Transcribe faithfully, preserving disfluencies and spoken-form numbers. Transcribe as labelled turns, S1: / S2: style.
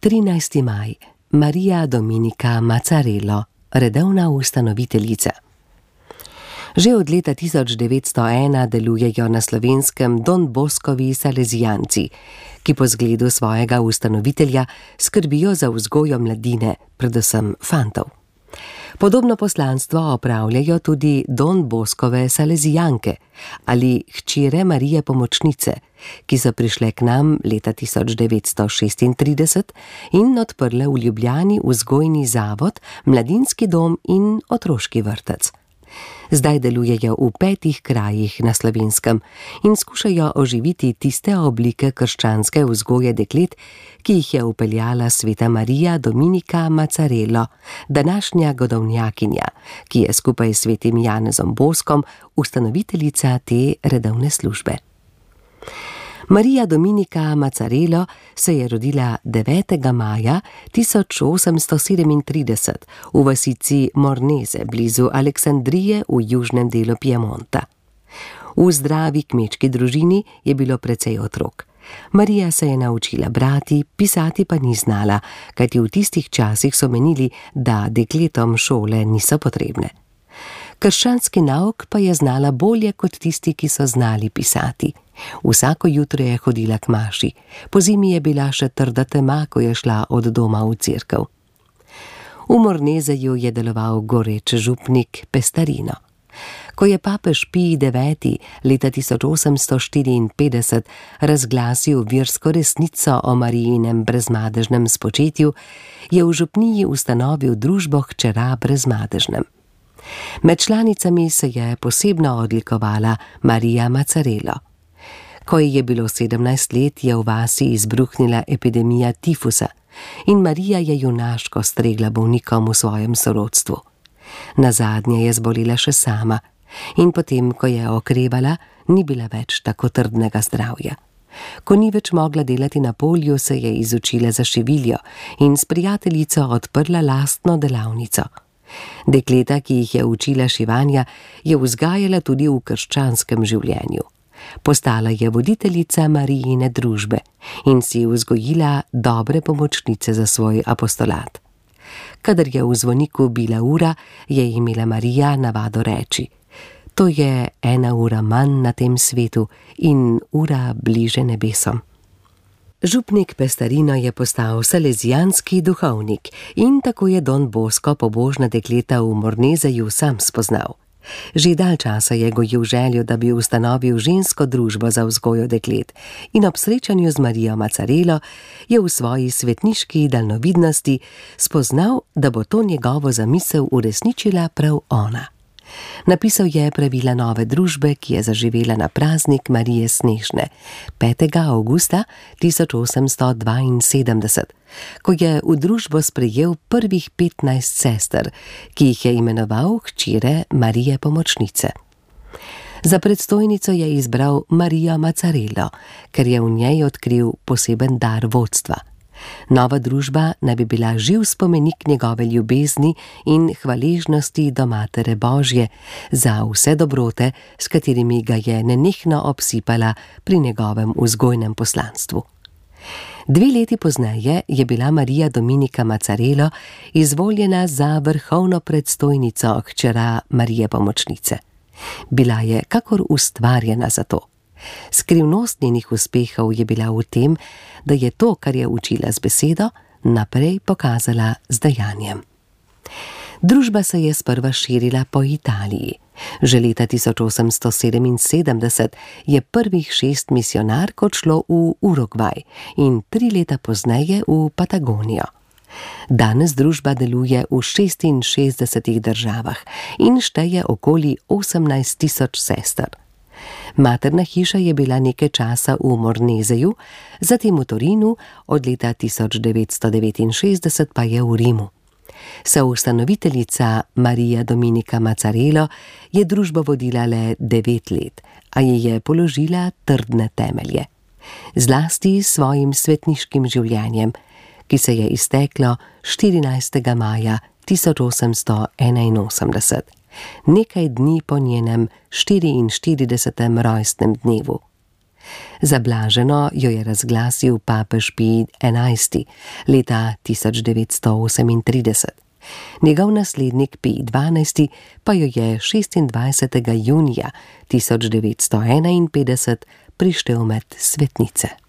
S1: trinajsti maj. Marija Dominika Mazzarello, redovna ustanoviteljica. Že od leta tisoč devetsto ena delujejo na Slovenskem Don Boscovi salezijanci, ki po zgledu svojega ustanovitelja skrbijo za vzgojo mladine, predvsem fantov. Podobno poslanstvo opravljajo tudi Don Boscove salezijanke ali hčere Marije Pomočnice, ki so prišle k nam leta tisoč devetsto šestintrideset in odprle v Ljubljani vzgojni zavod, mladinski dom in otroški vrtec. Zdaj delujejo v petih krajih na Slovenskem in skušajo oživiti tiste oblike krščanske vzgoje deklet, ki jih je vpeljala sveta Marija Dominika Mazzarello, današnja godovnjakinja, ki je skupaj s svetim Janezom Boskom ustanoviteljica te redovne službe. Marija Dominika Mazzarello se je rodila devetega maja tisoč osemsto sedemintrideset v vasici Mornese blizu Aleksandrije v južnem delu Piemonta. V zdravi kmečki družini je bilo precej otrok. Marija se je naučila brati, pisati pa ni znala, kajti v tistih časih so menili, da dekletom šole niso potrebne. Krščanski nauk pa je znala bolje kot tisti, ki so znali pisati. Vsako jutro je hodila k maši, pozimi je bila še trda tema, ko je šla od doma v cerkev. V Mornezeju je deloval goreč župnik Pestarino. Ko je papež Pij deveti leta tisoč osemsto štiriinpetdeset razglasil versko resnico o Marijinem brezmadežnem spočetju, je v župniji ustanovil družbo Hčera brezmadežnem. Med članicami se je posebno odlikovala Marija Mazzarello. Ko ji je bilo sedemnajst let, je v vasi izbruhnila epidemija tifusa in Marija je junaško stregla bolnikom v svojem sorodstvu. Nazadnje je zbolela še sama in potem, ko je okrevala, ni bila več tako trdnega zdravja. Ko ni več mogla delati na polju, se je izučila za šiviljo in s prijateljico odprla lastno delavnico. Dekleta, ki jih je učila šivanja, je vzgajala tudi v krščanskem življenju. Postala je voditeljica Marijine družbe in si vzgojila dobre pomočnice za svoj apostolat. Kadar je v zvoniku bila ura, je imela Marija navado reči: to je ena ura manj na tem svetu in ura bliže nebesom. Župnik Pestarino je postal salezijanski duhovnik in tako je Don Bosco pobožna dekleta v Mornezeju sam spoznal. Že dalj časa je gojil željo, da bi ustanovil žensko družbo za vzgojo deklet in ob srečanju z Marijo Mazzarello je v svoji svetniški daljnovidnosti spoznal, da bo to njegovo zamisel uresničila prav ona. Napisal je pravila nove družbe, ki je zaživela na praznik Marije Snežne, petega avgusta tisoč osemsto dvainsedemdeset, ko je v družbo sprejel prvih petnajst sester, ki jih je imenoval hčere Marije Pomočnice. Za predstojnico je izbral Marijo Mazzarello, ker je v njej odkril poseben dar vodstva. Nova družba naj bi bila živ spomenik njegove ljubezni in hvaležnosti do Matere Božje za vse dobrote, s katerimi ga je nenehno obsipala pri njegovem vzgojnem poslanstvu. Dve leti pozneje je bila Marija Dominika Mazzarello izvoljena za vrhovno predstojnico hčera Marije Pomočnice. Bila je kakor ustvarjena za to. Skrivnost njenih uspehov je bila v tem, da je to, kar je učila z besedo, naprej pokazala z dejanjem. Družba se je sprva širila po Italiji. Že leta tisoč osemsto sedeminsedemdeset je prvih šest misijonark odšlo v Urugvaj in tri leta pozneje v Patagonijo. Danes družba deluje v šestinšestdesetih državah in šteje okoli osemnajst tisoč sester. Materna hiša je bila nekaj časa v Mornezeju, zatem v Torinu, od leta tisoč devetsto devetinšestdeset pa je v Rimu. Soustanoviteljica Marija Dominika Mazzarello je družbo vodila le devet let, a ji je položila trdne temelje. Zlasti s svojim svetniškim življenjem, ki se je izteklo štirinajstega maja tisoč osemsto enainosemdeset, nekaj dni po njenem štiriinštiridesetem rojstnem dnevu. Za blaženo jo je razglasil papež Pij enajsti leta tisoč devetsto osemintrideset. Njegov naslednik Pij dvanajsti pa jo je šestindvajsetega junija tisoč devetsto enainpetdeset prištel med svetnice.